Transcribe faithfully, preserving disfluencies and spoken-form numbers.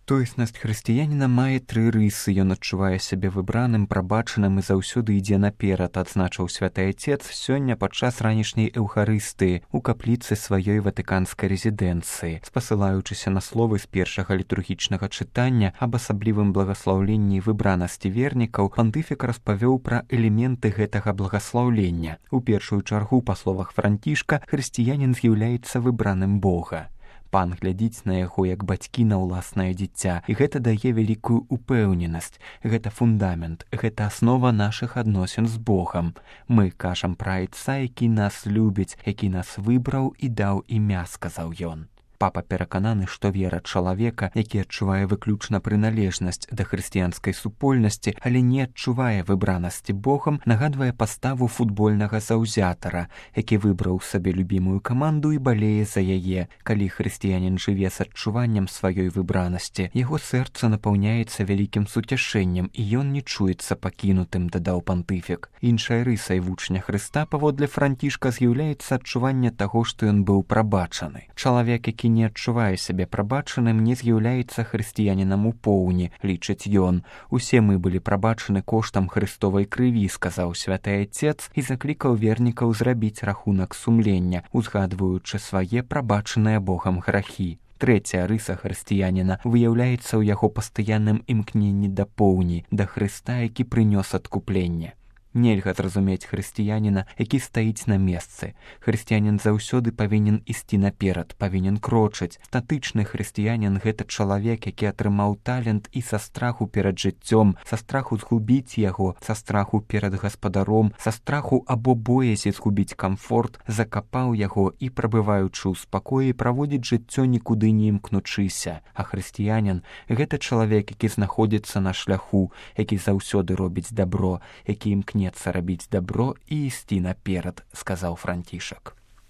Тоеснасць хрысціяніна мае тры рысы. Ён адчувае сябе выбраным, прабачаным і заўсёды ідзе наперад, адзначыў святы Отец сёння падчас ранішняй эўхарыстыі у капліцы сваёй ватыканскай рэзідэнцыі. Спасылаючыся на словы з першага літургічнага чытання аб асаблівым благаслаўленні і выбранасці вернікаў, пантыфік распавёў пра элементы гэтага благаслаўлення. У першую чаргу, па словах Францішка, хрысціянін з'яўляецца выбраным Бога. Пан глядзіць на яго як бацькі на ўласнае дзіця, і гэта дае вялікую упэўненасць. Гэта фундамент, гэта аснова нашых адносін з Богам. Мы кажам пра Айца, які нас любіць, які нас выбраў і даў імя, сказаў ён. Папа перакананы, што вера чалавека, які адчувае выключна прыналежнасць да хрысціянскай супольнасці, але не адчувае выбранасці Богам, нагадвае паставу футбольнага заўзятара, які выбраў сабе любімую каманду і балее за яе. Калі хрысціянін жыве з адчуваннем сваёй выбранасці, яго сэрца напаўняецца вялікім суцяшэннем, і ён не чуецца пакінутым, дадаў пантыфік. Іншай рысай вучня Хрыста, паводле Францішка, з'яўляецца адчуванне таго, што ён быў прабачаны. Чалавек, які не адчувае сябе прабачаным, не з'яўляецца хрысціянінам у поўні, лічыць ён. Усе мы былі прабачаны коштам Хрыстовай крыві, сказаў святы Отец і заклікаў вернікаў зрабіць рахунак сумлення, узгадваючы свае прабачаныя Богам грахі. Трэцяя рыса хрысціяніна выяўляецца ў яго пастаянным імкненні да поўні, да Хрыста, які прынёс адкупленне. Нельга зразумець хрысціяніна, які стаіць на месцы. Хрысціянін заўсёды павінен ісці наперад, павінен крочыць. Статычны хрысціянін – гэта чалавек, які атрымаў талент і са страху перад жыццём, са страху згубіць яго, са страху перад гаспадаром, са страху або боязі згубіць камфорт, закапаў яго і, прабываючы ў спакоі, праводзіць жыццё нікуды не імкнучыся. А хрысціянін – гэта чалавек, які знаходзіцца на шляху, які заўсёды робіць дабро, які імкне рабіць дабро і ісці наперад, сказаў Францішак.